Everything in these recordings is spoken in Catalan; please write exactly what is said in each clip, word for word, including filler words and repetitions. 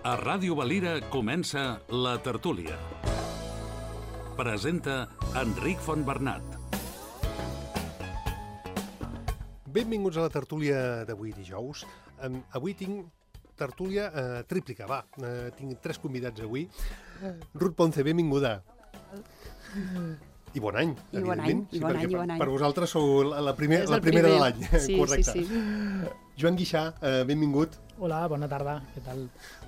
A Ràdio Valira comença La Tertúlia. Presenta Enric Fontbernat. Benvinguts a la tertúlia d'avui dijous. Um, avui tinc tertúlia uh, tríplica, va. Uh, tinc tres convidats avui. Ruth Ponce, benvinguda. I bon any, I bon any, evidentment. i bon any, i bon any. Per vosaltres sou la, la, primer, És la el primera primer. de l'any. Sí, correcte. sí, sí. Joan Guixà, uh, benvingut. Hola, bona tarda, què tal?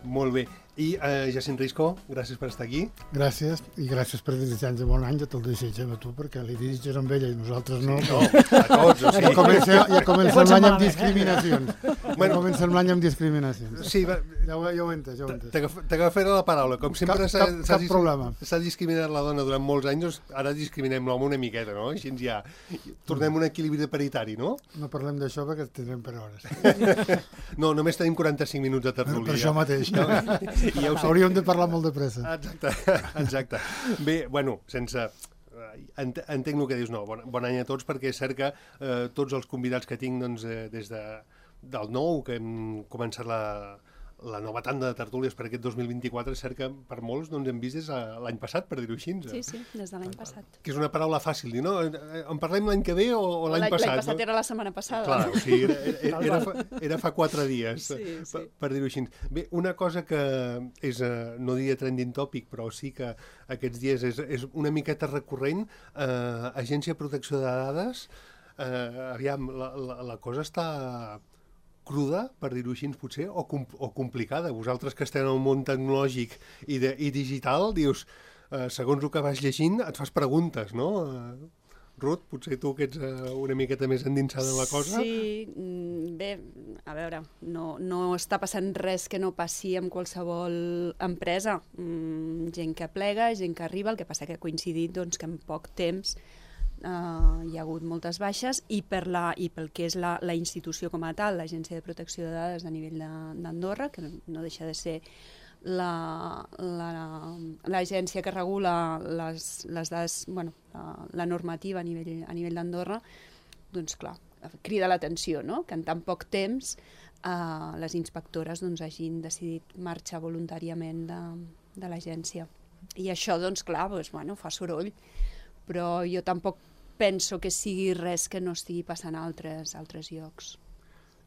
Molt bé. I uh, Jacint Risco, gràcies per estar aquí. Gràcies, i gràcies per desitjar-nos bon any, ja te'l desitgem a tu, perquè li desitges amb ella i nosaltres no. No, a tots, o Ja sigui. comencem, ja comencem Pot ser l'any amb malament, eh? discriminacions. Bueno. Ja comencem l'any amb discriminacions. Sí, va, Ja ho, ja ho he entès, ja ho he entès. t'agaf- t'agafaré la paraula. Com sempre Cap- s'ha cap- s'ha cap dis- problema. s'ha discriminat la dona durant molts anys, doncs ara discriminem l'home una miqueta, no? Així ens ja tornem a un equilibri paritari, no? No parlem d'això perquè ens tindrem per hores. No, només tenim quaranta-cinc minuts de tertúlia. Per això mateix. I ja ho sé. Hauríem de parlar molt de pressa. Exacte, exacte. Bé, bueno, sense... Ent entenc el que dius, no, bon, bon any a tots, perquè és cert que eh, tots els convidats que tinc doncs, eh, des de, del nou, que hem començat la, la nova tanda de tertúlies per aquest dos mil vint-i-quatre, és cert que per molts doncs, hem vist des de l'any passat, per dir-ho així. Sí, sí, des de l'any passat. Que és una paraula fàcil, dir, no? En parlem l'any que ve o, o l'any passat? L'any passat no? era la setmana passada. Clar, o sigui, era, era, era, fa, era fa quatre dies, Sí, sí. per, per dir-ho així. Bé, una cosa que és, eh, no diria trending topic, però sí que aquests dies és, és una miqueta recurrent, eh, Agència de Protecció de Dades, eh, aviam, la, la, la cosa està cruda, per dir-ho així, potser, o, com, o complicada. Vosaltres que esteu en el món tecnològic i, de, i digital, dius, eh, segons el que vas llegint, et fas preguntes, no? Eh, Ruth, potser tu que ets uh, una miqueta més endinsada en la cosa. Sí, mm, bé, a veure, no, no està passant res que no passi amb qualsevol empresa. Mm, gent que plega, gent que arriba, el que passa que ha coincidit doncs, que en poc temps Uh, hi ha hagut moltes baixes i, per la, i pel que és la, la institució com a tal, l'Agència de Protecció de Dades a nivell d'Andorra, que no, no deixa de ser l'agència la, la, que regula les, les dades, bueno, la, la normativa a nivell, a nivell d'Andorra, doncs clar, crida l'atenció, no? Que en tan poc temps uh, les inspectores doncs, hagin decidit marxar voluntàriament de, de l'agència. I això, doncs clar, doncs, bueno, fa soroll, però jo tampoc penso que sigui res que no estigui passant a altres, altres llocs.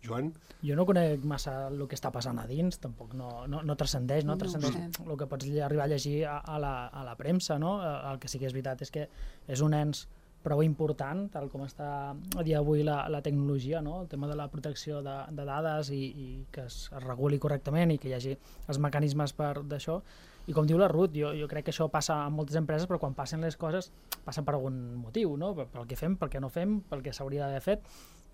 Joan? Jo no conec massa el que està passant a dins, tampoc no, no, no transcendeix, no? No ho Transcendeix sé. el que pots arribar a llegir a, a, la, a la premsa, no? El que sí que és veritat és que és un ens prou important, tal com està a dia d'avui la, la tecnologia, no? El tema de la protecció de, de dades i, i que es, es reguli correctament i que hi hagi els mecanismes per d'això. I com diu la Ruth, jo, jo crec que això passa en moltes empreses, però quan passen les coses passen per algun motiu, no? Pel que fem, pel que no fem, pel que s'hauria d'haver fet.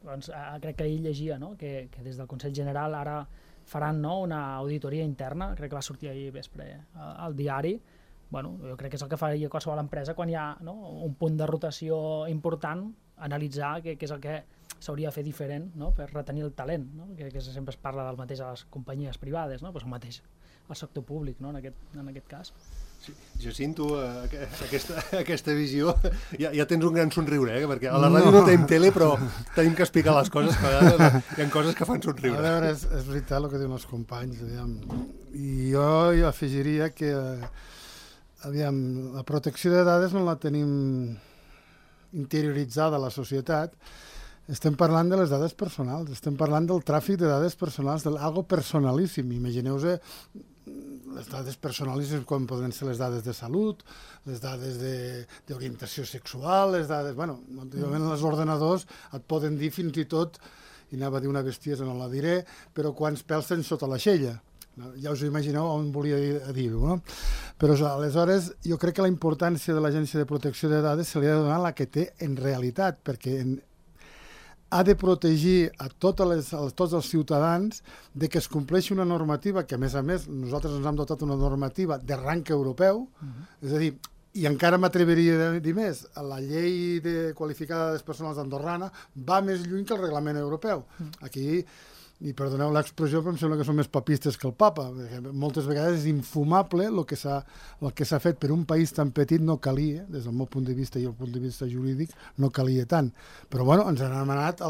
Doncs, eh, crec que ell llegia, no? que, que des del Consell General ara faran, no? Una auditoria interna, crec que va sortir ahir vespre al, al diari. Bueno, jo crec que és el que faria qualsevol empresa quan hi ha, no? Un punt de rotació important, analitzar què, què és el que s'hauria de fer diferent, no? Per retenir el talent, no? que, que sempre es parla del mateix a les companyies privades, no? Pues el mateix al sector públic, no? en, aquest, en aquest cas. Sí, Jacint, tu uh, aquesta, aquesta visió, ja, ja tens un gran somriure, eh? Perquè a la ràdio no, no tenim tele, però tenim que explicar les coses, que a vegades hi ha coses que fan somriure. A veure, és, és veritat el que diuen els companys, aviam. I jo, jo afegiria que aviam, la protecció de dades no la tenim interioritzada a la societat. Estem parlant de les dades personals, estem parlant del tràfic de dades personals, d'algo personalíssim. Imagineu-vos les dades personalíssimes com poden ser les dades de salut, les dades d'orientació sexual, les dades... Bueno, antigament els ordenadors et poden dir fins i tot, i anava a dir una bestiesa, no la diré, però quants pèls tens sota l'aixella. Ja us ho imagineu on volia dir-ho, no? Però aleshores jo crec que la importància de l'Agència de Protecció de Dades se li ha de donar la que té en realitat, perquè en, ha de protegir a, totes les, a tots els ciutadans de que es compleixi una normativa que, a més a més, nosaltres ens hem dotat una normativa de rang europeu, uh-huh. És a dir, i encara m'atreviria a dir més, la llei de qualificada de personals andorrana va més lluny que el reglament europeu. Uh-huh. Aquí, i perdoneu l'expressió, però em sembla que són més papistes que el papa, perquè moltes vegades és infumable el que s'ha el que s'ha fet per un país tan petit, no calia, des del meu punt de vista i el punt de vista jurídic, no calia tant. Però bueno, ens han anat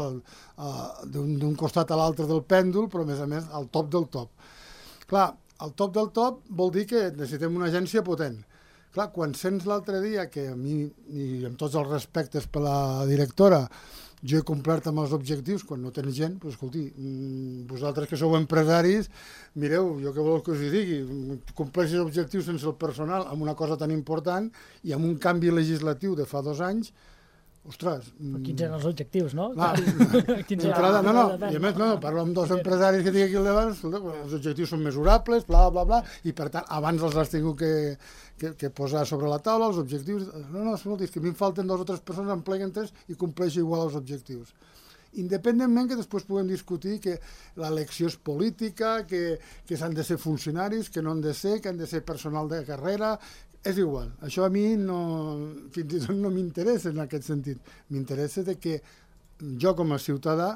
d'un costat a l'altre del pèndol, però a més a més al top del top. Clar, el top del top vol dir que necessitem una agència potent. Clar, quan sents l'altre dia que a mi, i amb tots els respectes per la directora, jo he complert amb els objectius, quan no tens gent, doncs, escolti, vosaltres que sou empresaris, mireu, jo què voleu que us hi digui, compleixis objectius sense el personal amb una cosa tan important i amb un canvi legislatiu de fa dos anys, ostres... Però quins eren els objectius, no? Clar, d'entrada, no, no, i a més, no, parlo amb dos empresaris que tinc aquí al davant, els objectius són mesurables, bla, bla, bla, i per tant, abans els has tingut que, que, que posar sobre la taula, els objectius... No, no, escolta, és que a mi em falten dues o tres persones, em pleguen tres i compleixo igual els objectius. Independentment que després puguem discutir que l'elecció és política, que, que s'han de ser funcionaris, que no han de ser, que han de ser personal de carrera... És igual, això a mi no, fins i tot no m'interessa en aquest sentit. M'interessa de que jo com a ciutadà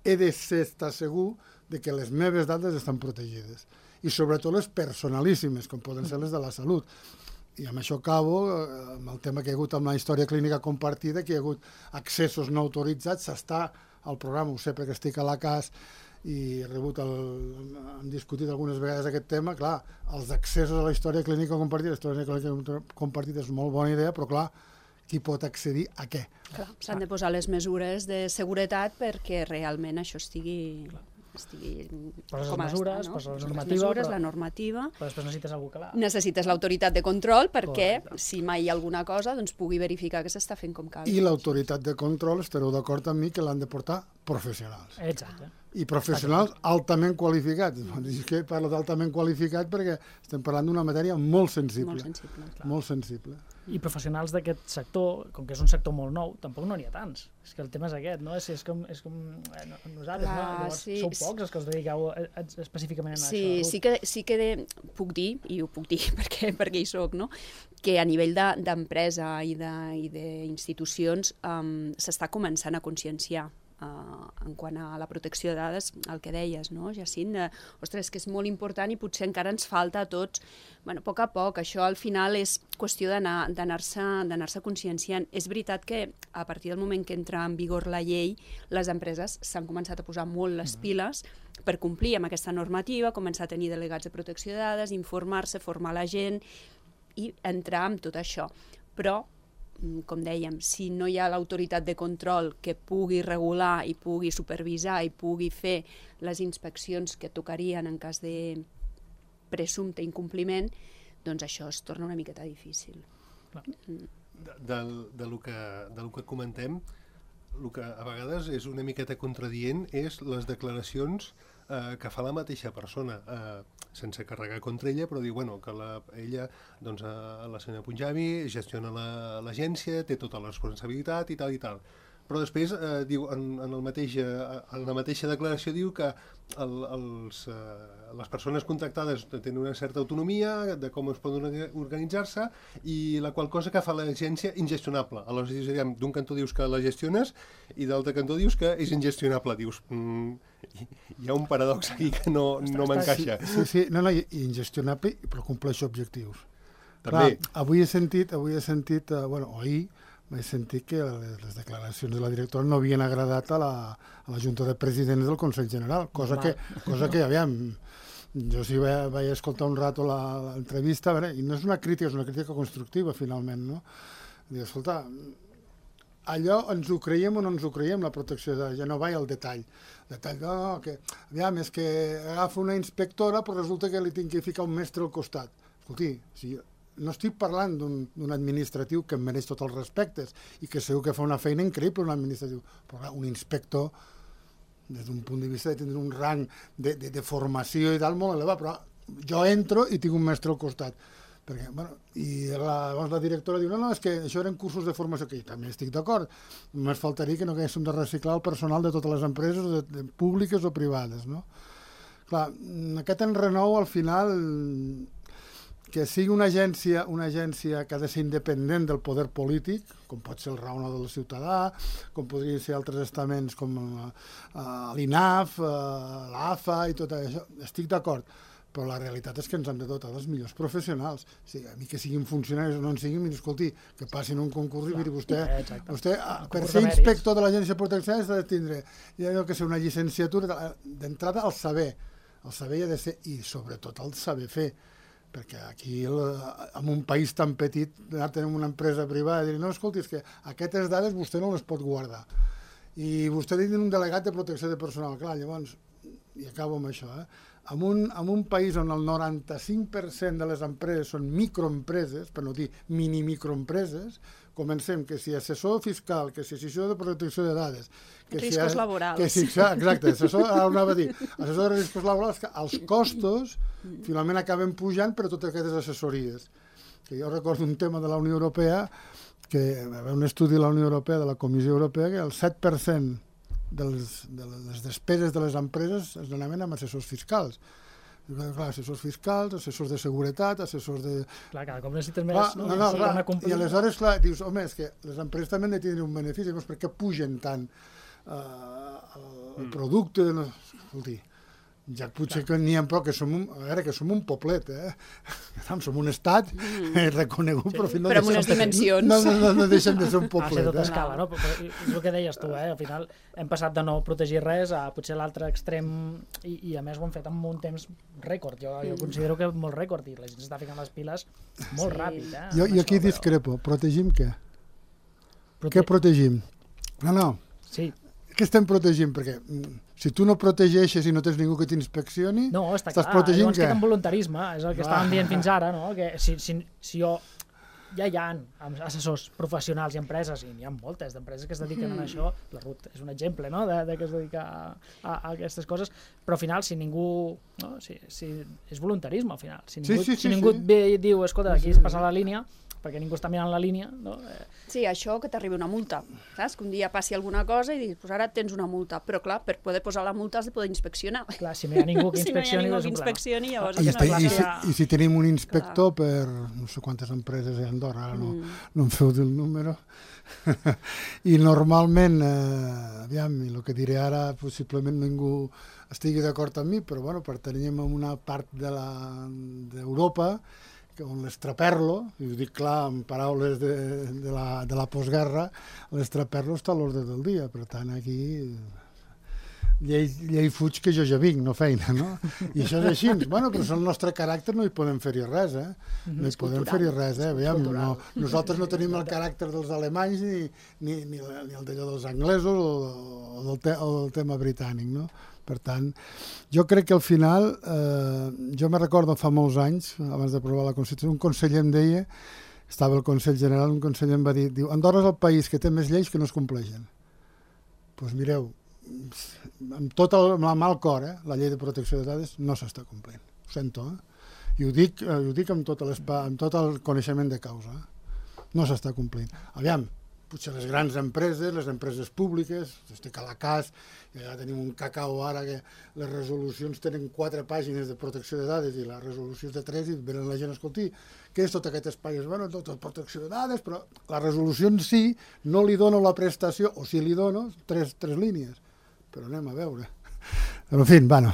he de ser, estar segur de que les meves dades estan protegides. I sobretot les personalíssimes, com poden ser les de la salut. I amb això acabo, amb el tema que hi ha hagut amb la història clínica compartida, que hi ha hagut accessos no autoritzats, s'està al programa, ho sé perquè estic a la C A S, i he rebut el, hem discutit algunes vegades aquest tema, clar, els accessos a la història clínica compartida, la història clínica compartida és molt bona idea, però clar, qui pot accedir a què? S'han de posar les mesures de seguretat perquè realment això estigui, estigui poses com mesures, està, no? poses la Les normativa, mesures, però, la normativa. Però després necessites algú que la... Necessites l'autoritat de control perquè Correcte. si mai hi ha alguna cosa doncs pugui verificar que s'està fent com cal. I l'autoritat de control, estareu d'acord amb mi, que l'han de portar professionals. Exacte. I professionals altament qualificats. És que parlo d'altament qualificat perquè estem parlant d'una matèria molt sensible. Molt sensible. Molt sensible. I professionals d'aquest sector, com que és un sector molt nou, tampoc no n'hi ha tants. És que el tema és aquest, no? És, és com, és com eh, nosaltres, Clar, no? Llavors, sí, sou pocs els que us dediqueu a, a, específicament a Sí, això. sí que, sí que de, puc dir, i ho puc dir perquè, perquè hi soc, no? Que a nivell d'empresa de, i d'institucions de, um, s'està començant a conscienciar Uh, en quant a la protecció de dades, el que deies, no, Jacint? Uh, ostres, que és molt important i potser encara ens falta a tots, bueno, a poc a poc, això al final és qüestió d'anar-se d'anar-se conscienciant. És veritat que a partir del moment que entra en vigor la llei, les empreses s'han començat a posar molt les piles per complir amb aquesta normativa, començar a tenir delegats de protecció de dades, informar-se, formar la gent i entrar amb tot això. Però com dèiem, si no hi ha l'autoritat de control que pugui regular i pugui supervisar i pugui fer les inspeccions que tocarien en cas de presumpte incompliment, doncs això es torna una miqueta difícil. De, de, de, lo que, de lo que comentem, el que a vegades és una miqueta contradient és les declaracions eh, que fa la mateixa persona, eh, sense carregar contra ella, però diu bueno, que la, ella, doncs, eh, la senyora Punjabi, gestiona l'agència, la, té tota la responsabilitat i tal i tal. Però després eh, diu, en, en, el mateix, eh, en la mateixa declaració diu que el, els, eh, les persones contractades tenen una certa autonomia de com es poden organitzar-se i la qual cosa que fa l'agència ingestionable. Aleshores, d'un cantó dius que la gestiones i d'altre cantó dius que és ingestionable. Dius, mm, hi ha un paradox aquí que no, no m'encaixa. Sí, sí, sí, no, no, i ingestionable, però compleix objectius. També. Clar, avui he sentit, avui he sentit, eh, bueno, ahir, vaig sentir que les, les declaracions de la directora no havien agradat a la, a la Junta de Presidents del Consell General, cosa que, cosa que aviam, jo sí vaig, vaig escoltar un rato l'entrevista, i no és una crítica, és una crítica constructiva, finalment, no? Dic, escolta, allò ens ho creiem o no ens ho creiem, la protecció de dades, ja no vaig al detall. Detall, no, no, que, aviam, és que agafa una inspectora, però resulta que li tinc que ficar un mestre al costat. Escolti, si no estic parlant d'un administratiu que em mereix tots els respectes i que segur que fa una feina increïble un administratiu, però un inspector des d'un punt de vista de tenir un rang de, de, de formació i tal molt elevat, però jo entro i tinc un mestre al costat. Perquè, bueno, i la, llavors la directora diu, no, no, és que això eren cursos de formació, que també estic d'acord, només faltaria que no haguéssim de reciclar el personal de totes les empreses, de, de públiques o privades, no? Clar, aquest enrenou al final, que sigui una agència, una agència que ha de ser independent del poder polític, com pot ser el raonador del ciutadà, com podrien ser altres estaments com uh, l'I N A F, uh, l'A F A i tot això, estic d'acord, però la realitat és que ens han de dotar dels millors professionals. O sigui, a mi que siguin funcionaris o no en siguin, miri, escolti, que passin un concurs i miri, vostè, vostè per ser inspector de l'Agència de Protecció s'ha de tindre, ja no que ser una llicenciatura, d'entrada el saber, El saber ha de ser, i sobretot el saber fer, perquè aquí, en un país tan petit, tenim una empresa privada i dir, no, escolti, és que aquestes dades vostè no les pot guardar. I vostè ha dit un delegat de protecció de personal. Clar, llavors, i acabo amb això, eh? En un, en un país on el noranta-cinc per cent de les empreses són microempreses, per no dir mini-microempreses, comencem que si assessor fiscal, que si assessor de protecció de dades... Que riscos si, laborals. Que si, exacte, assessor, ara anava a dir, assessor de riscos laborals, que els costos finalment acaben pujant per a totes aquestes assessories. Que jo recordo un tema de la Unió Europea, que hi va haver un estudi de la Unió Europea, de la Comissió Europea, que el set per cent de les, de les despeses de les empreses es donaven amb assessors fiscals. Clar, assessors fiscals, assessors de seguretat, assessors de... Clar, cada cop necessites més, clar, no? no, no, clar. Una I aleshores, clar, dius, home, és que les empreses també han de tenir un benefici, doncs per què pugen tant uh, el, el producte? No? Escolti, ja potser que n'hi ha prou, que som un, a veure, que som un poblet, eh? Som un estat mm. reconegut, sí. però, no però amb unes dimensions. No, no, no, no deixem de ser un poblet. Ha ser tota eh? escala, no? Però, però, és el que deies tu, eh? Al final hem passat de no protegir res a potser l'altre extrem i, i a més ho hem fet en un temps rècord. Jo, jo considero que molt rècord i la gent s'està ficant les piles molt sí. ràpid. Eh? Jo, jo aquí això, discrepo. Però... Protegim què? Prote... Què protegim? No, no. Sí. Què estem protegint? Perquè si tu no protegeixes i no tens ningú que t'inspeccioni, no, està estàs clar. protegint Llavors què? queda en voluntarisme, és el que Ah. estàvem dient fins ara, no? Que si, si, si jo ja hi ha assessors professionals i empreses, i n'hi ha moltes d'empreses que es dediquen mm. a això, la Ruth és un exemple, no?, de, de que es dedica a, a, a aquestes coses, però al final, si ningú... No? Si, si, és voluntarisme, al final. Si ningú, sí, sí, sí, si ningú sí. et ve i et diu, escolta, aquí sí, es sí. passa la línia, perquè ningú està mirant la línia, no? Eh, Sí, això que t'arribi una multa, saps? Que un dia passi alguna cosa i dius, pues ara tens una multa, però clar, per poder posar la multa has de poder inspeccionar. clar, si no hi ha ningú que Si no hi ha inspeccioni, ningú és que un problema. inspeccioni, llavors... I, és està, una i, si, classe- I si tenim un inspector per no sé quantes empreses hi ha a Andorra, ara no, Mm. no em feu del número, i normalment, eh, aviam, i el que diré ara possiblement ningú estigui d'acord amb mi, però bueno, pertanyem a una part de la- d'Europa que on l'estraperlo, i ho dic clar en paraules de, de, la, de la postguerra, l'estraperlo està a l'ordre del dia, per tant aquí llei, llei fuig que jo ja vinc, no feina, no? I això és així. Bueno, però és el nostre caràcter, no hi podem fer-hi res, eh? No hi podem fer-hi res, eh? Aviam, no, nosaltres no tenim el caràcter dels alemanys ni, ni, ni, ni el d'allò dels anglesos o, o, del te, o del tema britànic, no? Per tant, jo crec que al final, eh, jo me recordo fa molts anys, abans d'aprovar la Constitució, un conseller em deia, estava el Consell General, un conseller em va dir, diu, Andorra és el país que té més lleis que no es compleixen. Doncs pues mireu, amb tot el amb mal cor, eh, la llei de protecció de dades no s'està complint. Ho sento, eh? I ho dic, eh, ho dic amb, tot amb tot el coneixement de causa. Eh? No s'està complint. Aviam, potser les grans empreses, les empreses públiques, estic a la cas, ja tenim un cacau ara que les resolucions tenen quatre pàgines de protecció de dades i la resolució és de tres i venen la gent, escolti, què és tot aquest espai? Bueno, tot protecció de dades, però la resolució en si no li dono la prestació, o si li dono, tres, tres línies. Però anem a veure. Però, en fi, bueno,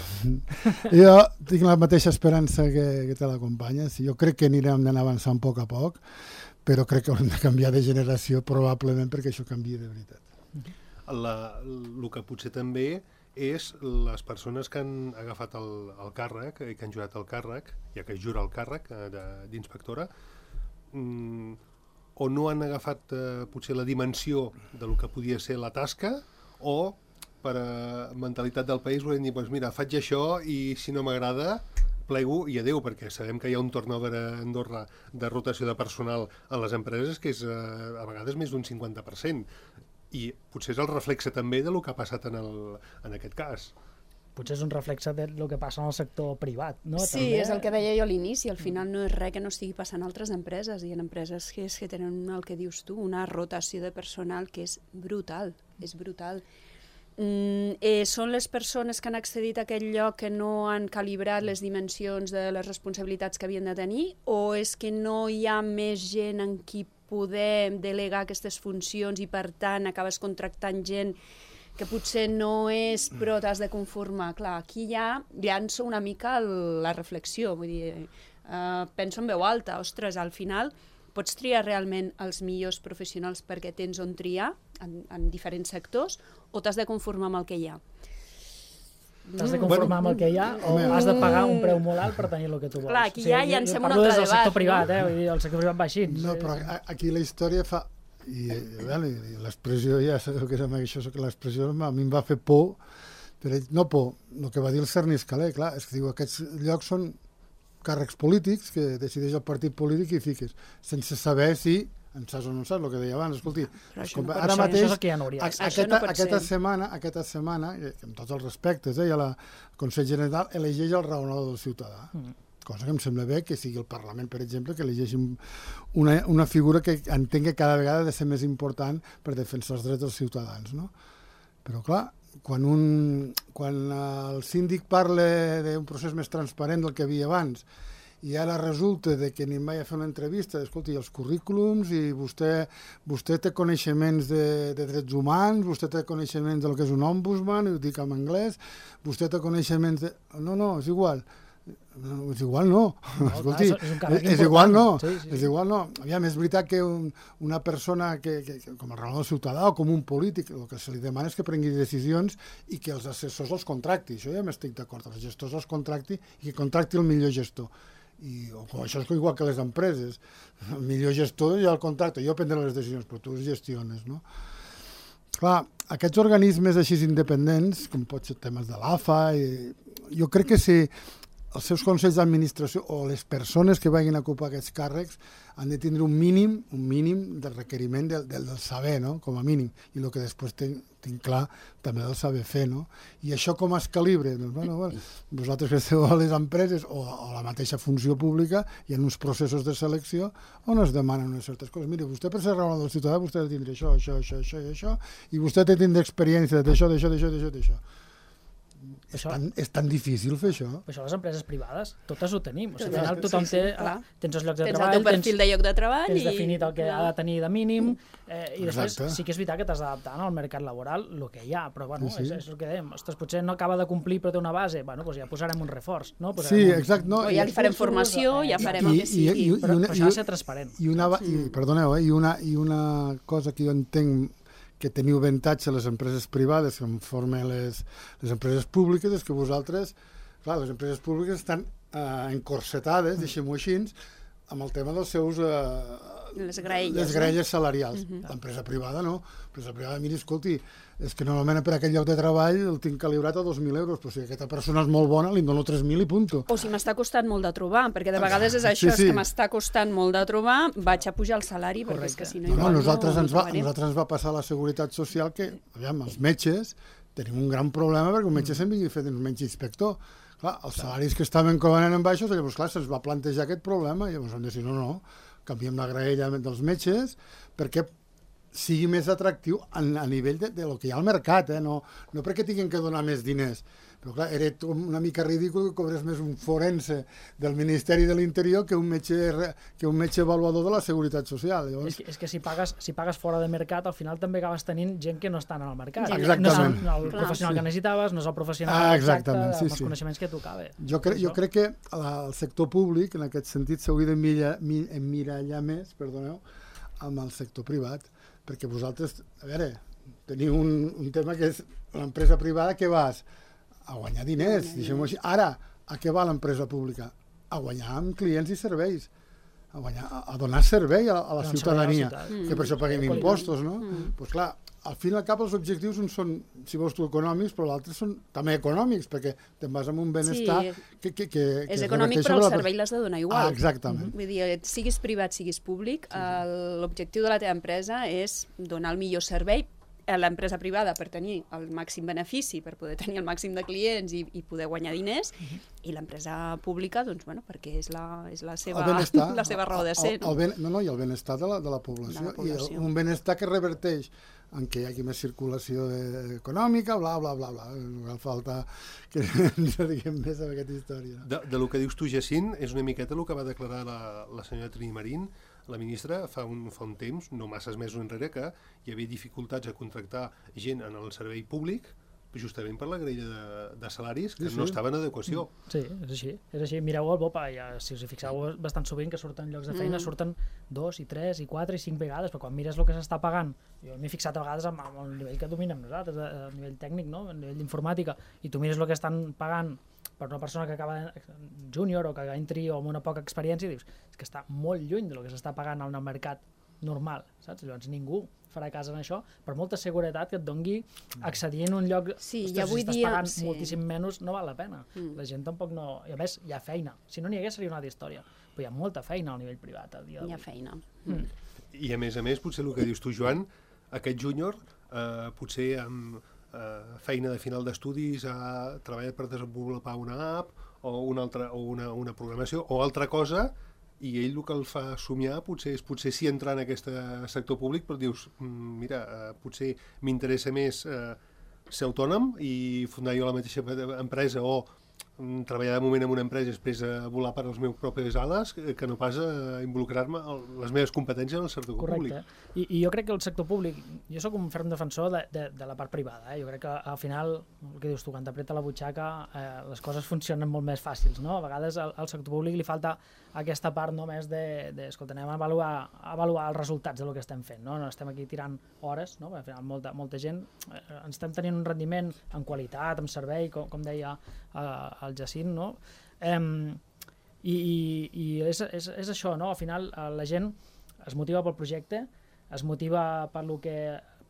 jo tinc la mateixa esperança que, que te l'acompanya. Jo crec que anirem d'anar avançant a poc a poc, però crec que haurem de canviar de generació probablement perquè això canviï de veritat. La, el que potser també és les persones que han agafat el, el càrrec i que han jurat el càrrec, ja que jura el càrrec d'inspectora, mm, o no han agafat eh, potser la dimensió del que podia ser la tasca, o per a mentalitat del país volem dir, doncs mira, faig això i si no m'agrada plego i adeu, perquè sabem que hi ha un turnover a Andorra de rotació de personal a les empreses que és eh, a vegades més d'un cinquanta per cent. I potser és el reflexe també del que ha passat en, el, en aquest cas. Potser és un reflexe del que passa en el sector privat, no? Sí, també... és el que deia jo a l'inici, al final no és res que no estigui passant a altres empreses, i en empreses que, és que tenen el que dius tu, una rotació de personal que és brutal, és brutal. Mm, eh, són les persones que han accedit a aquell lloc que no han calibrat les dimensions de les responsabilitats que havien de tenir, o és que no hi ha més gent en qui poder delegar aquestes funcions i per tant acabes contractant gent que potser no és però t'has de conformar. Clar, aquí ja llanço una mica el, la reflexió, vull dir, eh, penso en veu alta, ostres, al final pots triar realment els millors professionals perquè tens on triar en, en diferents sectors, o t'has de conformar amb el que hi ha. T'has de conformar amb el que hi ha o has de pagar un preu molt alt per tenir el que tu vols. Clar, aquí ja llancem un altre debat. Parlo del sector no? privat, eh? Vull dir, el sector privat va així. No, però aquí la història fa... I, i l'expressió, ja sabeu que és això, que l'expressió a mi em va fer por, però no por, el que va dir el Cerny Escaler, clar, és que diu, aquests llocs són càrrecs polítics que decideix el partit polític i fiques, sense saber si en saps o no en saps, el que deia abans, escolti, com, no ara mateix, això és el que ja no hauria. aquesta, no aquesta setmana, aquesta setmana, amb tots els respectes, eh, el Consell General elegeix el raonador del ciutadà. Mm. Cosa que em sembla bé que sigui el Parlament, per exemple, que elegeixi una, una figura que entenc que cada vegada ha de ser més important per defensar els drets dels ciutadans, no? Però, clar, quan, un, quan el síndic parla d'un procés més transparent del que hi havia abans i ara resulta de que ni mai a fer una entrevista, escolti, els currículums i vostè, vostè té coneixements de, de drets humans, vostè té coneixements del que és un ombudsman, ho dic en anglès, vostè té coneixements de... No, no, és igual. No, és igual no, no escolti, clar, és, és, és igual no, sí, sí, sí. és igual no. Aviam, és veritat que un, una persona que, que, que, com el raonador ciutadà o com un polític, el que se li demana és que prengui decisions i que els assessors els contracti, això ja m'estic d'acord, els gestors els contracti i que contracti el millor gestor. I, o, això és igual que les empreses, el millor gestor ja el contracta, jo prendré les decisions, però tu els gestiones, no? Clar, aquests organismes així independents, com pot ser temes de l'A F A, i, jo crec que si els seus consells d'administració o les persones que vagin a ocupar aquests càrrecs han de tindre un mínim, un mínim de requeriment del, del, del saber, no? Com a mínim, i el que després tinc, tinc clar també del saber fer, no? I això com es calibra? Doncs, bueno, bueno, vosaltres que esteu a les empreses o a la mateixa funció pública hi ha uns processos de selecció on es demanen unes certes coses. Mira, vostè per ser raonador del ciutadà vostè ha de tindre això, això, això, això i això, i vostè ha de tindre experiència d'això, d'això, d'això, d'això, d'això. És, això, tan, és tan difícil fer això. Això les empreses privades, totes ho tenim. O sigui, al final tothom sí, sí, té, ah, tens els llocs de tens treball, el teu perfil tens, de lloc de treball tens i... definit el que clar. ha de tenir de mínim, eh, i després Exacte. sí que és veritat que t'has d'adaptar al mercat laboral el que hi ha, però bueno, sí, sí. És, és el que dèiem. Ostres, potser no acaba de complir però té una base, bueno, doncs ja posarem un reforç. No? Sí, un... exacte. No, o ja li farem formació, eh, ja farem i, el que sigui. I, i, i, però, una, però això ha de ser transparent. I una, i, perdoneu, eh, i, una, i una cosa que jo entenc que teniu avantatge les empreses privades que formen les, les empreses públiques és que vosaltres, clar, les empreses públiques estan eh, encorsetades, mm. deixem-ho així, amb el tema dels seus... Eh, les graelles, les graelles no? salarials. Uh -huh. L'empresa privada no. L'empresa privada, mira, escolti, és que normalment per aquest lloc de treball el tinc calibrat a dos mil euros, però si aquesta persona és molt bona, li dono tres mil i punto. O si m'està costant molt de trobar, perquè de vegades és això, sí, sí. és que m'està costant molt de trobar, vaig a pujar el salari, perquè és que si no... No, igual no, nosaltres, no, ens no va, nosaltres ens va passar a la Seguretat Social que, aviam, els metges tenim un gran problema perquè un metge mm. se'n vingui fet un metge inspector. Clar, els salaris que estaven cobrant en baixos, llavors, clar, se'ns va plantejar aquest problema, i llavors vam dir, no, no, canviem la graella dels metges perquè sigui més atractiu a, a nivell de, de lo que hi ha al mercat, eh? no, no perquè tinguin que donar més diners. Però clar, era una mica ridícul que cobrés més un forense del Ministeri de l'Interior que un metge que un metge avaluador de la Seguretat Social. Llavors... És, que, és que si pagues, si pagues fora de mercat, al final també acabes tenint gent que no està en el mercat. Exactament. No és el, el professional sí. que necessitaves, no és el professional ah, exacte sí, amb sí. els coneixements que tocava. Jo, cre jo crec que el sector públic, en aquest sentit, s'hauria d'emmirallar més, perdoneu, amb el sector privat, perquè vosaltres, a veure, teniu un, un tema que és l'empresa privada que vas a guanyar diners, deixem-ho així. Ara, a què va l'empresa pública? A guanyar amb clients i serveis, a, guanyar, a donar servei a, a la ciutadania, que per això paguem mm. impostos, no? Doncs mm. pues clar, al fin i al cap els objectius són, si vols tu, econòmics, però l'altre són també econòmics, perquè te'n vas amb un benestar sí. que, que, que... És que econòmic, però el servei l'has de donar igual. Ah, exactament. Vull dir, siguis privat, siguis públic, sí, sí. l'objectiu de la teva empresa és donar el millor servei a l'empresa privada per tenir el màxim benefici, per poder tenir el màxim de clients i, i poder guanyar diners, uh-huh. i l'empresa pública, doncs, bueno, perquè és la, és la, seva, la seva raó de ser. El, el, el, no, no, i el benestar de la, de la població. De la població. I el, un benestar que reverteix en què hi hagi més circulació de, econòmica, bla, bla, bla, bla. No cal falta que ens diguem més amb aquesta història. De, de lo que dius tu, Jacint, és una miqueta el que va declarar la, la senyora Trini Marín, la ministra, fa un, fa un temps, no masses mesos enrere, que hi havia dificultats a contractar gent en el servei públic justament per la grella de, de salaris que Sí, sí. no estava en adequació. Sí, és així. És així. Mireu el Bopa, ja, si us hi fixeu bastant sovint que surten llocs de feina, Mm. surten dos, i tres, i quatre, i cinc vegades, però quan mires el que s'està pagant, jo m'he fixat a vegades amb, amb el nivell que dominem nosaltres, a nivell tècnic, no? A nivell d'informàtica, i tu mires el que estan pagant per una persona que acaba júnior o que entri o amb una poca experiència i dius, és que està molt lluny del que s'està pagant en el mercat normal, saps? Llavors ningú farà cas en això, per molta seguretat que et dongui accedir en un lloc, Sí, ostres, i avui si estàs dia- pagant sí. moltíssim menys, no val la pena. Mm. La gent tampoc no... I a més, hi ha feina. Si no n'hi hagués seria una altra història, però hi ha molta feina al nivell privat a dia Hi d'avui. ha feina. Mm. I a més a més, potser el que dius tu, Joan, aquest júnior, eh, potser amb eh, feina de final d'estudis, ha treballat per desenvolupar una app o una, altra, o una, una programació o altra cosa, i ell el que el fa somiar potser és potser sí entrar en aquest sector públic, però dius, mm, mira, eh, potser m'interessa més eh, ser autònom i fundar jo la mateixa empresa o mm, treballar de moment en una empresa i després a volar per les meves pròpies ales que, que no pas a involucrar-me en les meves competències en el sector públic. Correcte. I, I jo crec que el sector públic, jo sóc un ferm defensor de, de, de la part privada, eh? Jo crec que al final, el que dius tu, quan t'apreta la butxaca, eh, les coses funcionen molt més fàcils, no? A vegades al, al sector públic li falta aquesta part només de, de escolta, anem a avaluar, a avaluar els resultats del que estem fent, no? No estem aquí tirant hores, no? Perquè al final molta, molta gent eh, ens estem tenint un rendiment en qualitat, en servei, com, com deia eh, el Jacint, no? Eh, i i, i és, és, és això, no? Al final eh, la gent es motiva pel projecte, es motiva per lo que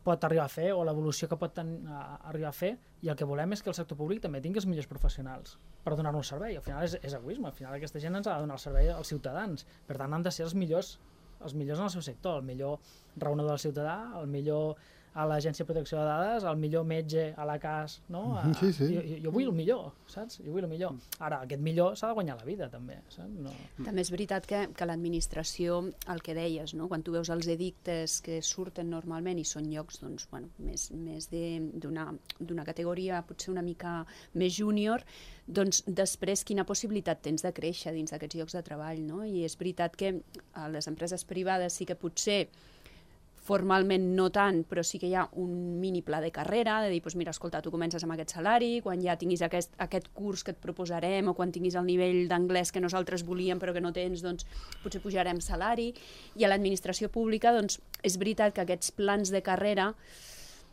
pot arribar a fer o l'evolució que pot ten, a, arribar a fer, i el que volem és que el sector públic també tingui els millors professionals per donar-nos servei. Al final és, és egoisme, al final aquesta gent ens ha de donar el servei als ciutadans, per tant han de ser els millors, els millors en el seu sector, el millor raonador del ciutadà, el millor a l'Agència de Protecció de Dades, el millor metge a la C A S, no? A, Sí, sí. Jo, jo vull el millor, saps? Jo vull el millor. Ara, aquest millor s'ha de guanyar la vida, també, saps? No... També és veritat que, que l'administració, el que deies, no? Quan tu veus els edictes que surten normalment i són llocs doncs, bueno, més, més d'una categoria potser una mica més júnior, doncs després quina possibilitat tens de créixer dins d'aquests llocs de treball, no? I és veritat que a les empreses privades sí que potser formalment no tant, però sí que hi ha un mini pla de carrera, de dir, doncs mira, escolta, tu comences amb aquest salari, quan ja tinguis aquest, aquest curs que et proposarem o quan tinguis el nivell d'anglès que nosaltres volíem però que no tens, doncs potser pujarem salari. I a l'administració pública, doncs, és veritat que aquests plans de carrera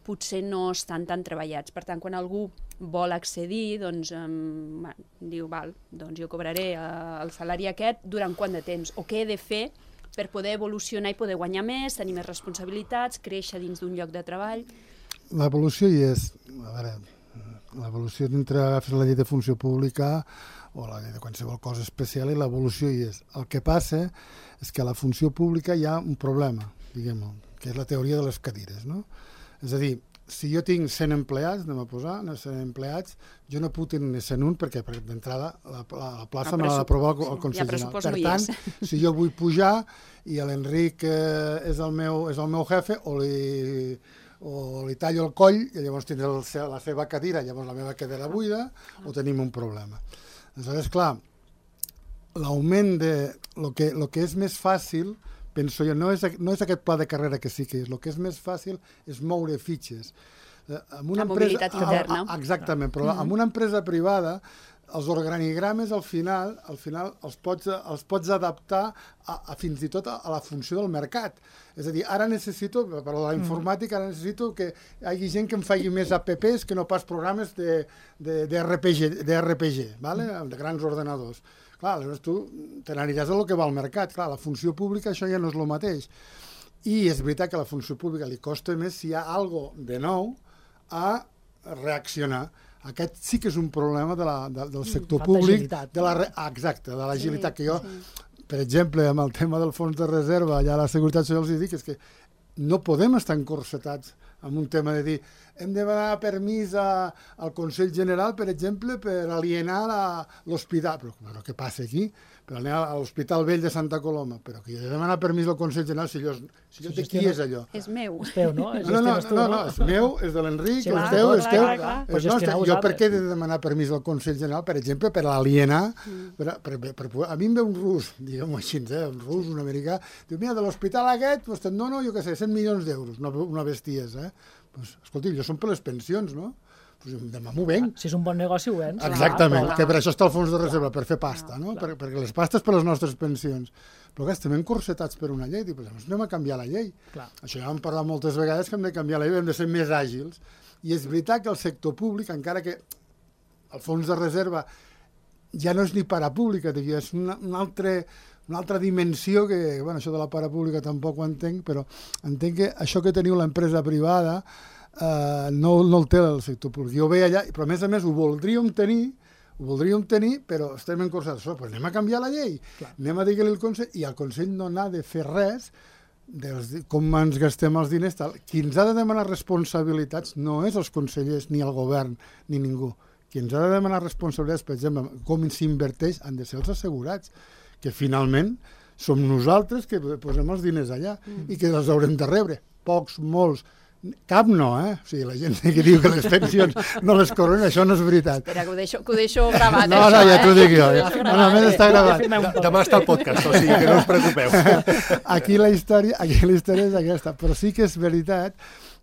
potser no estan tan treballats. Per tant, quan algú vol accedir, doncs um, bueno, diu, val, doncs jo cobraré uh, el salari aquest durant quant de temps, o què he de fer per poder evolucionar i poder guanyar més, tenir més responsabilitats, créixer dins d'un lloc de treball. L'evolució hi és. A veure, l'evolució dintre agafes la llei de funció pública o la llei de qualsevol cosa especial i l'evolució hi és. El que passa és que a la funció pública hi ha un problema, diguem-ho, que és la teoria de les cadires, no? És a dir, si jo tinc cent empleats, anem a posar, cent empleats, jo no puc tenir cent un perquè, perquè d'entrada la, la, la plaça me l'ha d'aprovar el, el Consell General. Per tant, si jo vull pujar i l'Enric eh, és, el meu, és el meu jefe o li, o li tallo el coll i llavors tindré el, la seva cadira, llavors la meva cadira buida, o tenim un problema. Aleshores, clar, l'augment de... Lo que, lo que és més fàcil, penso jo, no és, no és aquest pla de carrera que sí que és, el que és més fàcil és moure fitxes. Eh, amb una la empresa, mobilitat interna. A, a, exactament, però mm-hmm. amb una empresa privada els organigrames al final, al final els, pots, els pots adaptar a, a fins i tot a, a la funció del mercat. És a dir, ara necessito, per la informàtica, ara necessito que hi hagi gent que em faci més apps que no pas programes de, de, de R P G, de R P G, vale? De grans ordenadors. Clar, aleshores tu te n'aniràs a lo que va al mercat. Clar, la funció pública això ja no és el mateix. I és veritat que a la funció pública li costa més si hi ha algo de nou a reaccionar. Aquest sí que és un problema de la, de, del sector Falta públic. agilitat. De la, exacte, de l'agilitat. Sí, que jo, sí. per exemple, amb el tema del fons de reserva, allà a la Seguretat Social els dic, és que no podem estar encorsetats amb un tema de dir hem de demanar permís a, al Consell General, per exemple, per alienar l'hospital. Però, però què passa aquí? Per alienar a l'Hospital Vell de Santa Coloma. Però que he de demanar permís al Consell General si allò, si allò de qui és allò? És meu. És teu, no? No, no, no, no, no, és meu, és de l'Enric, Sí, és clar, teu, clar, és clar, teu. clar, clar. És Però nostre. gestioneu Jo per vosaltres. què he de demanar permís al Consell General, per exemple, per alienar, per, per, per, per, a mi em ve un rus, diguem-ho així, eh, un rus, un americà, diu, mira, de l'hospital aquest, doncs te'n dono, jo què sé, cent milions d'euros, una, una bestiesa, eh? Pues, escolti, jo són per les pensions, no? pues demà m'ho venc. Si és un bon negoci, ho vens. Exactament, que per això està el fons de reserva, per fer pasta, no? Per, perquè les pastes per les nostres pensions. Però que estem encorsetats per una llei, dic, doncs anem a canviar la llei. Clar. Això ja hem parlat moltes vegades, que hem de canviar la llei, hem de ser més àgils. I és veritat que el sector públic, encara que el fons de reserva ja no és ni parapública, és una, una, altra, una altra dimensió que, bueno, això de la parapública tampoc ho entenc, però entenc que això que teniu l'empresa privada eh, no, no el té el sector públic. Jo ho veia allà, però a més a més ho voldríem tenir, ho voldríem tenir, però estem encorsats. Pues anem a canviar la llei, clar. Anem a dir-li al Consell, i el Consell no n'ha de fer res dels, com ens gastem els diners. Tal. Qui ens ha de demanar responsabilitats no és els consellers, ni el govern, ni ningú. Qui ens ha de demanar responsabilitats, per exemple, com s'inverteix, han de ser els assegurats, que finalment som nosaltres que posem els diners allà mm. i que els haurem de rebre. Pocs, molts, cap no, eh? O sigui, la gent que diu que les pensions no les cobren, això no és veritat. Espera, que ho deixo, que ho deixo gravat, no, això, no, ja eh? t'ho dic jo. Ja. No, no, més està gravat. Demà està el podcast, o sigui que no us preocupeu. Aquí la història, aquí la història és aquesta, però sí que és veritat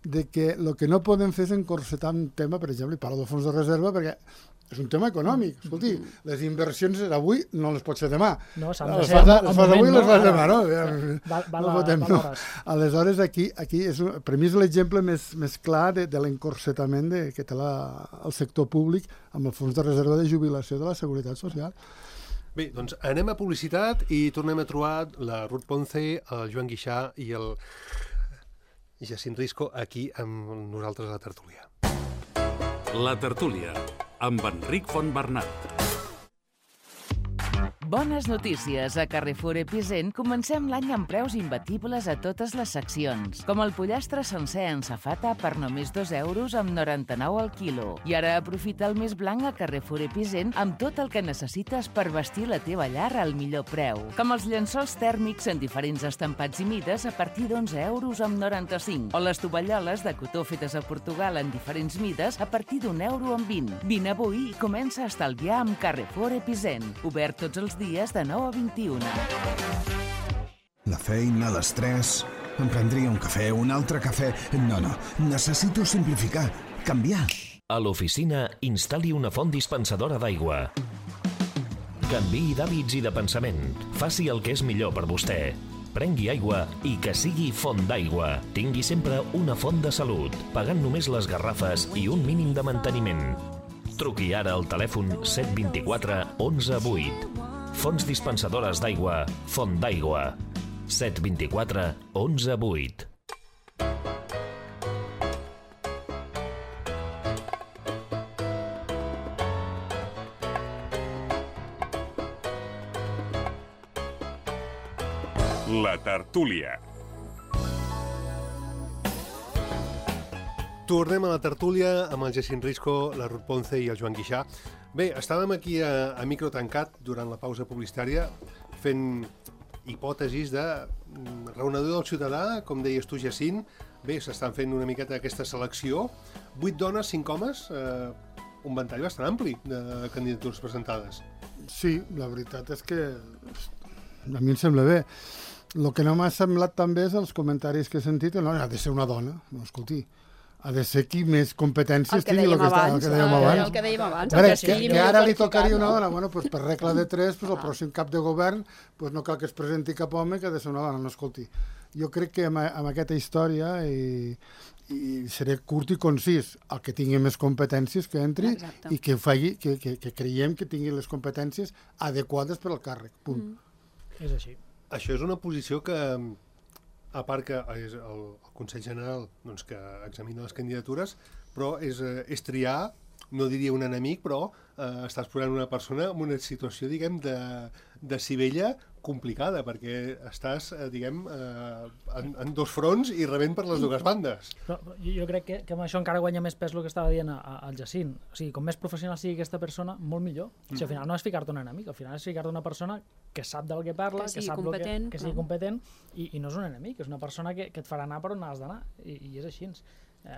de que el que no podem fer és encorsetar un tema, per exemple, i parlo del fons de reserva, perquè és un tema econòmic. Escolti, les inversions d'avui no les pots fer demà. No, s'han de les ser fas, al les fas moment, avui i no? les fas demà, no? Val, val, no podem, val no. Aleshores, aquí, aquí és un, per mi és l'exemple més, més clar de, de l'encorsetament de, que té la, el sector públic amb el fons de reserva de jubilació de la Seguretat Social. Bé, doncs anem a publicitat i tornem a trobar la Ruth Ponce, el Joan Guixà i el Jacint Risco aquí amb nosaltres a la tertúlia. La tertúlia, amb Enric Fontbernat. Bones notícies. A Carrefour Epicent comencem l'any amb preus imbatibles a totes les seccions, com el pollastre sencer en safata per només dos euros amb noranta-nou al quilo. I ara aprofita el més blanc a Carrefour Epicent amb tot el que necessites per vestir la teva llar al millor preu, com els llençols tèrmics en diferents estampats i mides a partir d'onze euros amb noranta-cinc, o les tovalloles de cotó fetes a Portugal en diferents mides a partir d'un euro amb vint. Vine avui i comença a estalviar amb Carrefour Epicent. Obert tots els dies de nou a vint-i-una. La feina, l'estrès... Em prendria un cafè, un altre cafè... No, no, necessito simplificar, canviar. A l'oficina, instal·li una font dispensadora d'aigua. Canviï d'hàbits i de pensament. Faci el que és millor per vostè. Prengui aigua i que sigui font d'aigua. Tingui sempre una font de salut, pagant només les garrafes i un mínim de manteniment. Truqui ara al telèfon set dos quatre onze vuit. Fonts dispensadores d'aigua, Font d'aigua. set dos quatre onze vuit. La tertúlia. Tornem a la tertúlia amb el Jacint Risco, la Ruth Ponce i el Joan Guixà. Bé, estàvem aquí a, a micro tancat durant la pausa publicitària fent hipòtesis de raonador del ciutadà, com deies tu, Jacint. Bé, s'estan fent una miqueta aquesta selecció. Vuit dones, cinc homes, eh, un ventall bastant ampli de candidatures presentades. Sí, la veritat és que a mi em sembla bé. El que no m'ha semblat també és els comentaris que he sentit, no, ha de ser una dona, no, escolti, ha de ser qui més competències tingui, el que, abans, el que dèiem abans. El que dèiem abans. Veure, que, que, que ara li tocaria una dona, bueno, pues per regla de tres, pues el pròxim cap de govern pues no cal que es presenti cap home que ha de ser una dona, no, escolti. Jo crec que amb, amb aquesta història i, i seré curt i concís, el que tingui més competències que entri. Exacte. I que, faci, que, que, que creiem que tingui les competències adequades per al càrrec, punt. Mm. És així. Això és una posició que, a part que és el, el Consell General doncs, que examina les candidatures, però és, és triar, no diria un enemic, però eh, estàs posant una persona en una situació, diguem, de, de civella complicada, perquè estàs, eh, diguem, eh, en, en dos fronts i rebent per les dues bandes. Però, jo, jo crec que, que amb això encara guanya més pes el que estava dient al Jacint. O sigui, com més professional sigui aquesta persona, molt millor. Mm. O sigui, al final no és ficar-te un enemic, al final és ficar-te una persona que sap del que parla, que, que sap competent, que, que sigui competent, i, i no és un enemic, és una persona que, que et farà anar per on has d'anar, i, i és així. Eh,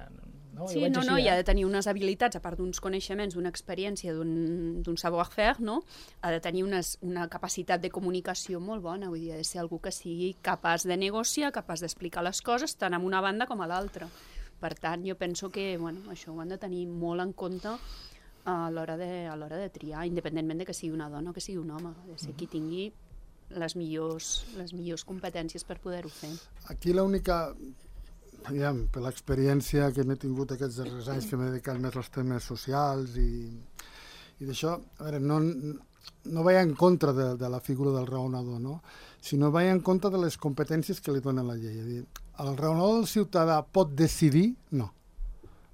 no, sí, no, així, no, eh? i ha de tenir unes habilitats, a part d'uns coneixements, d'una experiència, d'un savoir-faire, no? Ha de tenir unes, una capacitat de comunicació molt bona, vull dir, ha de ser algú que sigui capaç de negociar, capaç d'explicar les coses, tant en una banda com a l'altra, per tant, jo penso que bueno, això ho han de tenir molt en compte a l'hora de, a l'hora de triar, independentment de que sigui una dona o que sigui un home, de ser qui tingui les millors, les millors competències per poder-ho fer. Aquí l'única, aviam, per l'experiència que m'he tingut aquests darrers anys que m'he dedicat més als temes socials i, i d'això, a veure, no, no vaig en contra de, de la figura del raonador, no? Sinó vaig en contra de les competències que li dona la llei. És a dir, el raonador del ciutadà pot decidir? No.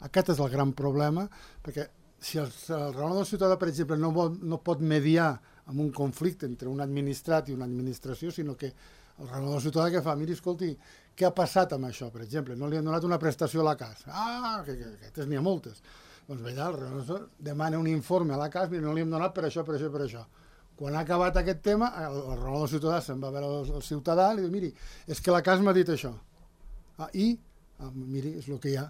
Aquest és el gran problema, perquè si el, el raonador del ciutadà, per exemple, no, vol, no pot mediar en un conflicte entre un administrat i una administració, sinó que el raonador del ciutadà que fa, miri, escolti, què ha passat amb això, per exemple? No li han donat una prestació a la casa. Ah, que, que, que n'hi ha moltes. Doncs allà el raonador demana un informe a la casa, mira, no li hem donat per això, per això, per això. Quan ha acabat aquest tema, el, el raonador del ciutadà se'n va a veure el, el ciutadà i li diu, miri, és que la casa m'ha dit això. Ah, i? Ah, miri, és el que hi ha.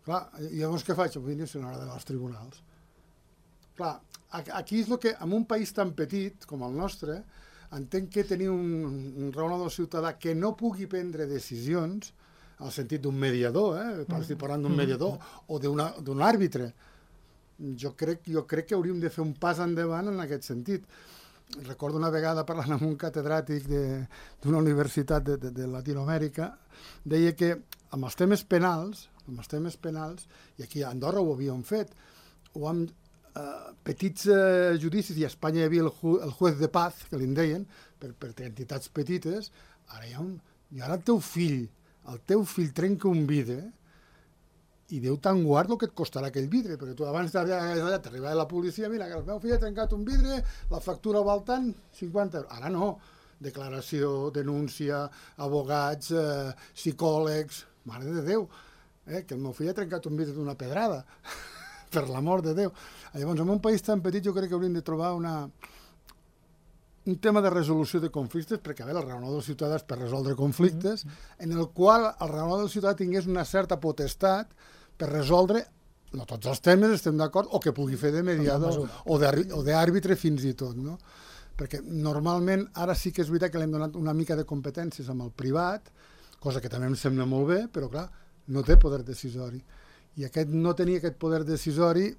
Clar, llavors què faig? Vull dir, se n'haurà d'anar als tribunals. Clar, aquí és el que, en un país tan petit com el nostre, entenc que tenir un, un raonador ciutadà que no pugui prendre decisions, en el sentit d'un mediador, eh? estic parlant d'un mediador, o d'un àrbitre. Jo crec, jo crec que hauríem de fer un pas endavant en aquest sentit. Recordo una vegada parlant amb un catedràtic d'una universitat de, de, de Latinoamèrica, deia que amb els temes penals, amb els temes penals, i aquí a Andorra ho havíem fet, o amb eh, petits eh, judicis, i a Espanya hi havia el, ju, el juez de paz, que li en deien, per, per entitats petites, ara hi ha un... I ara el teu fill, el teu fill trenca un vidre, i Déu te'n guard el que et costarà aquell vidre, perquè tu abans t'arribava la policia, mira, que el meu fill ha trencat un vidre, la factura val tant, cinquanta euros. Ara no, declaració, denúncia, abogats, eh, psicòlegs, mare de Déu, eh, que el meu fill ha trencat un vidre d'una pedrada, per l'amor de Déu. Llavors, en un país tan petit jo crec que hauríem de trobar una... un tema de resolució de conflictes, perquè a veure, el raonador del ciutadà és per resoldre conflictes, en el qual el raonador del ciutadà tingués una certa potestat per resoldre, no tots els temes estem d'acord, o que pugui fer de mediador o d'àrbitre fins i tot, no? Perquè normalment ara sí que és veritat que li hem donat una mica de competències amb el privat, cosa que també em sembla molt bé, però clar, no té poder decisori. I aquest no tenir aquest poder decisori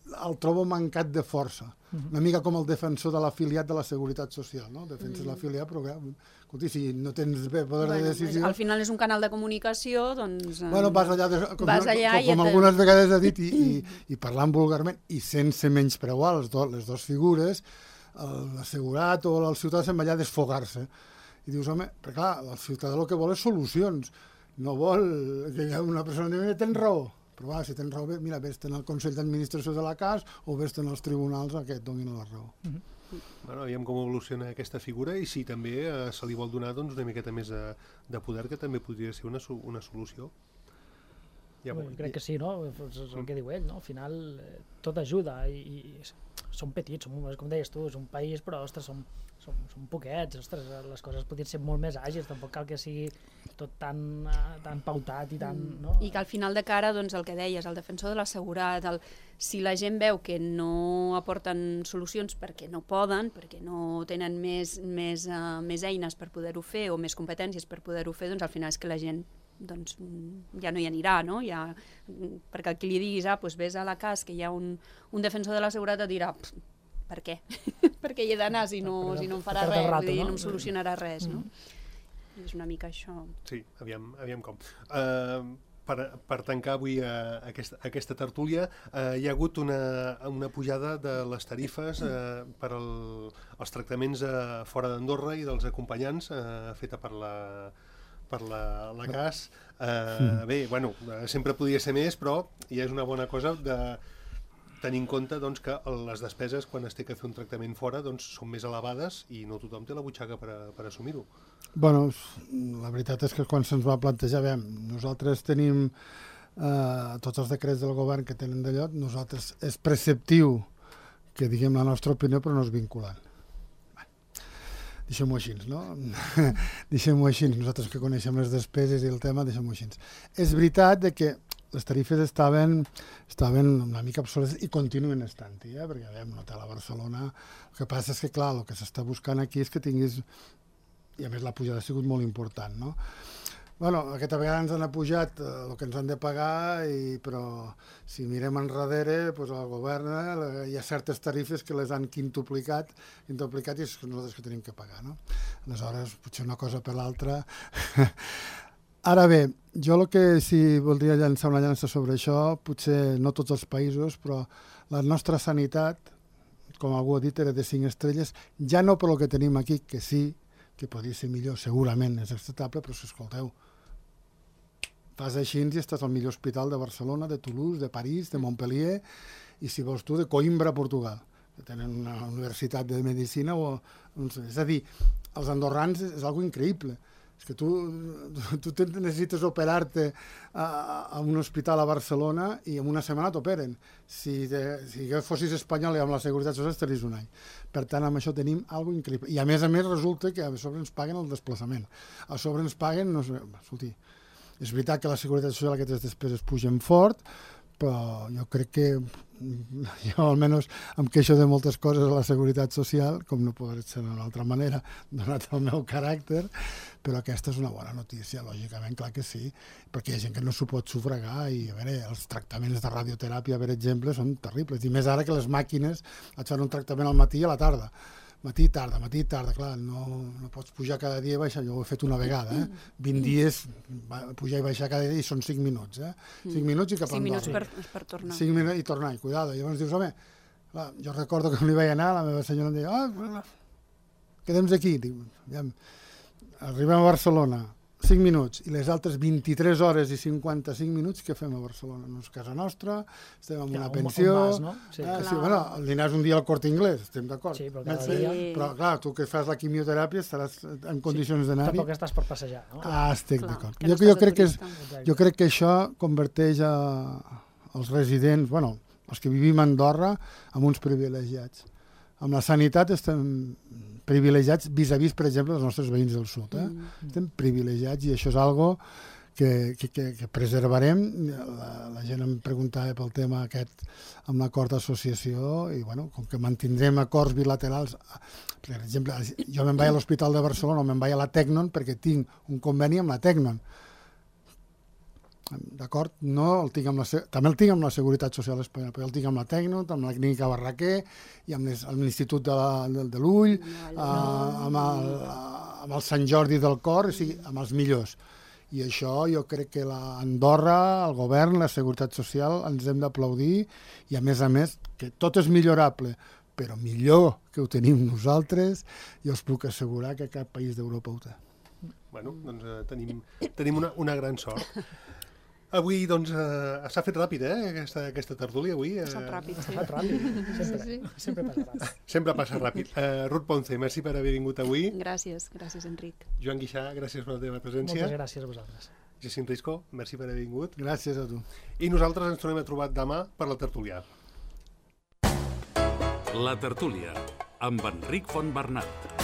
el trobo mancat de força. Una mica com el defensor de l'afiliat de la Seguretat Social, no? Defenses mm. l'afiliat, però clar, escolti, si no tens bé poder bueno, de decisió... Al final és un canal de comunicació, doncs... Bueno, vas allà, de, com, vas allà com, com, com algunes vegades ha dit, i, i, i parlant vulgarment, i sense menyspreuar les, do, les dues figures, l'assegurat o el ciutadà se'n va allà a desfogar-se. I dius, home, perquè clar, el ciutadà el que vol és solucions. No vol que una persona digui, tens raó. Però va, si tens raó, mira, vés-te'n al Consell d'Administració de la C A S o vés-te'n als tribunals a que et donin la raó. Mm-hmm. Bueno, aviam com evoluciona aquesta figura i si també eh, se li vol donar doncs, una miqueta més de, de poder, que també podria ser una, una solució. Ja, bueno, crec que sí, no? És el que diu ell, no? Al final eh, tot ajuda i, i som petits, som, com deies tu, és un país, però ostres, som, som, som poquets, ostres, les coses podrien ser molt més àgils, tampoc cal que sigui tot tan, uh, tan pautat i tan... No? I que al final de cara, doncs, el que deies, el defensor de l'assegurat, el... si la gent veu que no aporten solucions perquè no poden, perquè no tenen més, més, uh, més eines per poder-ho fer o més competències per poder-ho fer, doncs al final és que la gent doncs, ja no hi anirà, no? Ja, perquè el que li diguis, ah, doncs vés a la C A S, que hi ha un, un defensor de l'assegurat, et dirà, per què? perquè hi he d'anar si, no, si no em farà res, rato, dir, no? no em solucionarà res, no? Mm. És una mica això. Sí, aviam, aviam com. Uh, per, per tancar avui uh, aquesta, aquesta tertúlia, uh, hi ha hagut una, una pujada de les tarifes uh, per al, els tractaments uh, fora d'Andorra i dels acompanyants, uh, feta per la, per la, la C A S. Uh, bé, bueno, sempre podria ser més, però ja és una bona cosa de tenir en compte doncs, que les despeses quan es té que fer un tractament fora doncs, són més elevades i no tothom té la butxaca per, a, per assumir-ho. Bueno, la veritat és que quan se'ns va plantejar, bé, nosaltres tenim eh, tots els decrets del govern que tenen d'allò, nosaltres és preceptiu que diguem la nostra opinió però no és vinculant. Deixem-ho així, no? Deixem-ho així, nosaltres que coneixem les despeses i el tema, deixem-ho així. És veritat que les tarifes estaven, estaven una mica obsoletes i continuen estant-hi, eh? Perquè veiem, un hotel a Barcelona, el que passa és que, clar, el que s'està buscant aquí és que tinguis, i a més la pujada ha sigut molt important, no? Bueno, aquesta vegada ens han apujat eh, el que ens han de pagar, i, però si mirem enrere, pues, el govern eh, hi ha certes tarifes que les han quintuplicat, quintuplicat i és nosaltres que tenim que pagar, no? Aleshores, potser una cosa per l'altra. Ara bé, jo el que sí voldria llançar una llança sobre això, potser no tots els països, però la nostra sanitat, com algú ha dit, era de cinc estrelles, ja no per el que tenim aquí, que sí, que podria ser millor, segurament és acceptable, però si escolteu, fas així i estàs al millor hospital de Barcelona, de Toulouse, de París, de Montpellier, i si vols tu, de Coimbra, Portugal, que tenen una universitat de medicina, o, no sé, és a dir, els andorrans és, és algo increïble. És que tu, tu necessites operar-te a, a un hospital a Barcelona i en una setmana t'operen. Si, de, si fossis espanyol i amb la Seguretat Social estaries un any. Per tant, amb això tenim alguna cosa increïble. I a més a més resulta que a sobre ens paguen el desplaçament. A sobre ens paguen, no sé, escolti, és veritat que la Seguretat Social aquestes despeses pugen fort, però jo crec que jo almenys em queixo de moltes coses a la Seguretat Social, com no pot ser d'una altra manera, donat el meu caràcter, però aquesta és una bona notícia, lògicament, clar que sí, perquè hi ha gent que no s'ho pot sufragar i, a veure, els tractaments de radioteràpia, per exemple, són terribles, i més ara que les màquines et fan un tractament al matí i a la tarda. Matí i tarda, matí i tarda, clar, no, no pots pujar cada dia i baixar, jo ho he fet una vegada, eh? vint dies, pujar i baixar cada dia i són cinc minuts, eh? cinc minuts i cap a Andorra. cinc minuts per, per tornar. cinc minuts i tornar, i cuidado. I llavors dius, home, clar, jo recordo que quan hi vaig anar, la meva senyora em deia, ah, quedem aquí. Dic, ja, arribem a Barcelona, cinc minuts, i les altres vint-i-tres hores i cinquanta-cinc minuts que fem a Barcelona. No és casa nostra, estem en una ja, pensió... Un vas, no? Sí. Ah, sí, bueno, el dinar és un dia al Corte Inglés, estem d'acord. Sí, però cada dia... Sí. Però, clar, tu que fas la quimioteràpia estaràs en condicions sí. d'anar-hi. Tampoc estàs per passejar, no? Ah, estic d'acord. Jo, jo, crec que és, jo crec que això converteix a, els residents, bueno, els que vivim a Andorra, en uns privilegiats. Amb la sanitat estem privilegiats vis-a-vis, per exemple, dels nostres veïns del sud. Eh? Mm. Estem privilegiats i això és algo que, que, que, que preservarem. La, la gent em preguntava pel tema aquest amb l'acord d'associació i, bueno, com que mantindrem acords bilaterals, per exemple, jo me'n vaig a l'Hospital de Barcelona o me'n vaig a la Tecnon perquè tinc un conveni amb la Tecnon. D'acord? No el tinc amb la, també el tinc amb la Seguretat Social Espanyola, però el tinc amb la Tecno, amb la Clínica Barraquer i amb l'Institut de, de, de l'Ull, no, amb, el, amb el Sant Jordi del Cor, o sigui, amb els millors. I això jo crec que l'Andorra, el govern, la Seguretat Social, ens hem d'aplaudir i, a més a més, que tot és millorable, però millor que ho tenim nosaltres, jo us puc assegurar que cap país d'Europa ho té. Bueno, doncs eh, tenim, tenim una, una gran sort. Avui, doncs, eh, s'ha fet ràpid, eh, aquesta, aquesta tertúlia, avui. Eh... S'ha fet ràpid, sí. S'ha fet ràpid, sempre, sí, sí. sempre passa ràpid. Sempre passa ràpid. Uh, Ruth Ponce, merci per haver vingut avui. Gràcies, gràcies, Enric. Joan Guixà, gràcies per la teva presència. Moltes gràcies a vosaltres. Jacint Risco, merci per haver vingut. Gràcies a tu. I nosaltres ens tornem a trobar demà per la tertúlia. La tertúlia, amb Enric Fontbernat.